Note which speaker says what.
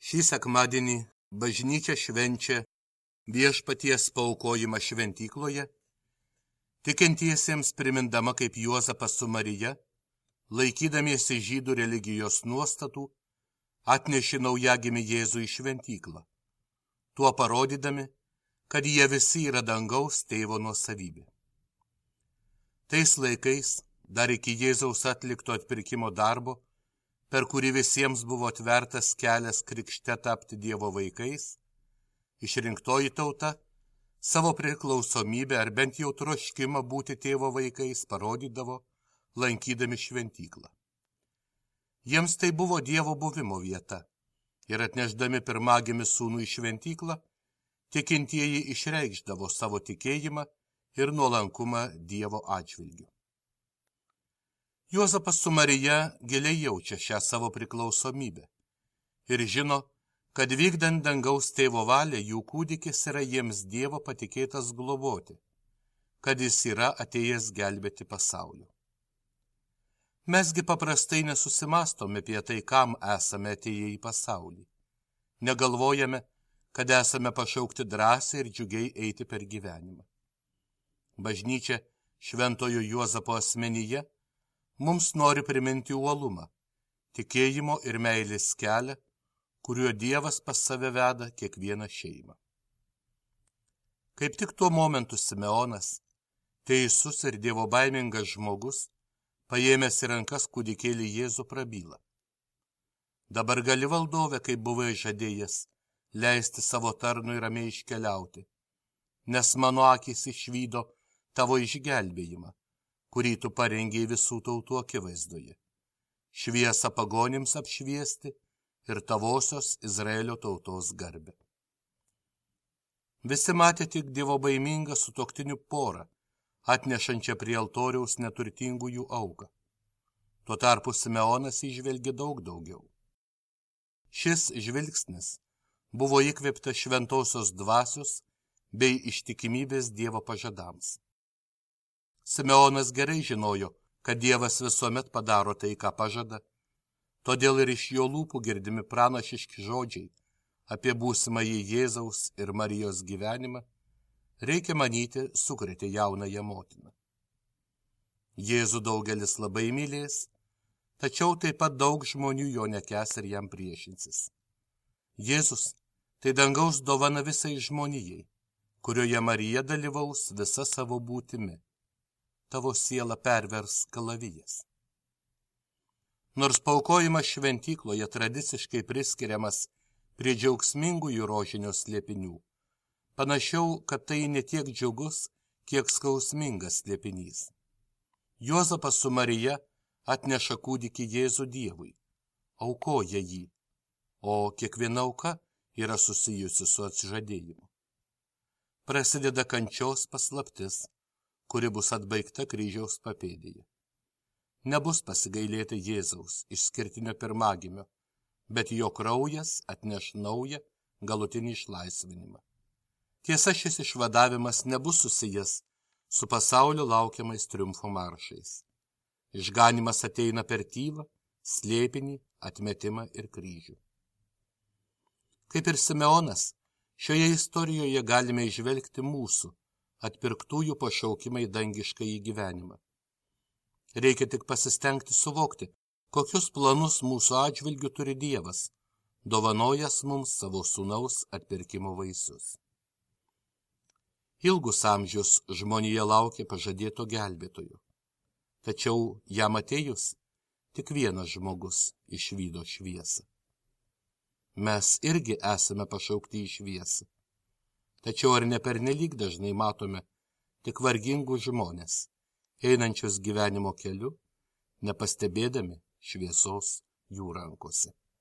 Speaker 1: Šį sekmadienį bažnyčia švenčia viešpaties paaukojimą šventykloje, tikintiesiems primindama, kaip Juozapas su Marija, laikydamiesi žydų religijos nuostatų, atnešė naujagimį Jėzų į šventyklą, tuo parodydami, kad jie visi yra dangaus tėvo nuosavybė. Tais laikais, dar iki Jėzaus atlikto atpirkimo darbo, per kurį visiems buvo atvertas kelias krikšte tapti Dievo vaikais, išrinktoji tauta savo priklausomybę ar bent jau troškimą būti tėvo vaikais parodydavo, lankydami šventyklą. Jiems tai buvo Dievo buvimo vieta ir atnešdami pirmagimį sūnų į šventyklą, tikintieji išreikšdavo savo tikėjimą ir nuolankumą Dievo atžvilgiu. Juozapas su Marija giliai jaučia šią savo priklausomybę ir žino, kad vykdant dangaus tėvo valią jų kūdikis yra jiems Dievo patikėtas globoti, kad jis yra atėjęs gelbėti pasaulio. Mesgi paprastai nesusimastome apie tai, kam esame atėję į pasaulį. Negalvojame, kad esame pašaukti drąsiai ir džiugiai eiti per gyvenimą. Bažnyčia šventojo Juozapo asmenyje mums nori priminti uolumą, tikėjimo ir meilės kelią, kuriuo Dievas pas save veda kiekvieną šeimą. Kaip tik tuo momentu Simeonas, teisus ir dievobaimingas žmogus, paėmęs į rankas kūdikėlį Jėzų prabyla. Dabar gali, valdove, kaip buvai žadėjęs, leisti savo tarnui ramiai iškeliauti, nes mano akys išvydo tavo išgelbėjimą, kurį tu parengei visų tautų akivaizdoje, šviesą pagonims apšviesti ir tavosios Izraelio tautos garbę. Visi matė tik dievobaimingą sutuoktinių porą, atnešančią prie altoriaus neturtingųjų auką. Tuo tarpu Simeonas įžvelgė daug daugiau. Šis žvilgsnis buvo įkvėptas šventosios dvasios bei ištikimybės Dievo pažadams. Simeonas gerai žinojo, kad Dievas visuomet padaro tai, ką pažada, todėl ir iš jo lūpų girdimi pranašiški žodžiai apie būsimąjį Jėzaus ir Marijos gyvenimą, reikia manyti, sukrėtė jaunąją motiną. Jėzų daugelis labai mylės, tačiau taip pat daug žmonių jo nekęs ir jam priešinsis. Jėzus tai dangaus dovana visai žmonijai, kurioje Marija dalyvaus visa savo būtimi. Tavo siela pervers kalavijas. Nors paaukojimas šventykloje tradiciškai priskiriamas prie džiaugsmingųjų rožinio slėpinių, panašiau, kad tai ne tiek džiugus, kiek skausmingas slėpinys. Juozapas su Marija atneša kūdikį Jėzų Dievui, aukoja jį, o kiekviena auka yra susijusi su atsižadėjimu. Prasideda kančios paslaptis, kuri bus atbaigta kryžiaus papėdėje. Nebus pasigailėti Jėzaus išskirtinio pirmagimio, bet jo kraujas atneš naują galutinį išlaisvinimą. Tiesa, šis išvadavimas nebus susijęs su pasaulio laukiamais triumfo maršais. Išganymas ateina per tylą, slėpinį, atmetimą ir kryžių. Kaip ir Simeonas, šioje istorijoje galime įžvelgti mūsų atpirktųjų pašaukimą į dangiškąjį gyvenimą. Reikia tik pasistengti suvokti, kokius planus mūsų atžvilgių turi Dievas, dovanojas mums savo sūnaus atpirkimo vaisius. Ilgus amžius žmonija laukė pažadėto gelbėtojo, tačiau jam atėjus tik vienas žmogus išvydo šviesą. Mes irgi esame pašaukti į šviesą. Tačiau ar ne pernelyg dažnai matome tik vargingus žmones, einančius gyvenimo keliu, nepastebėdami šviesos jų rankose.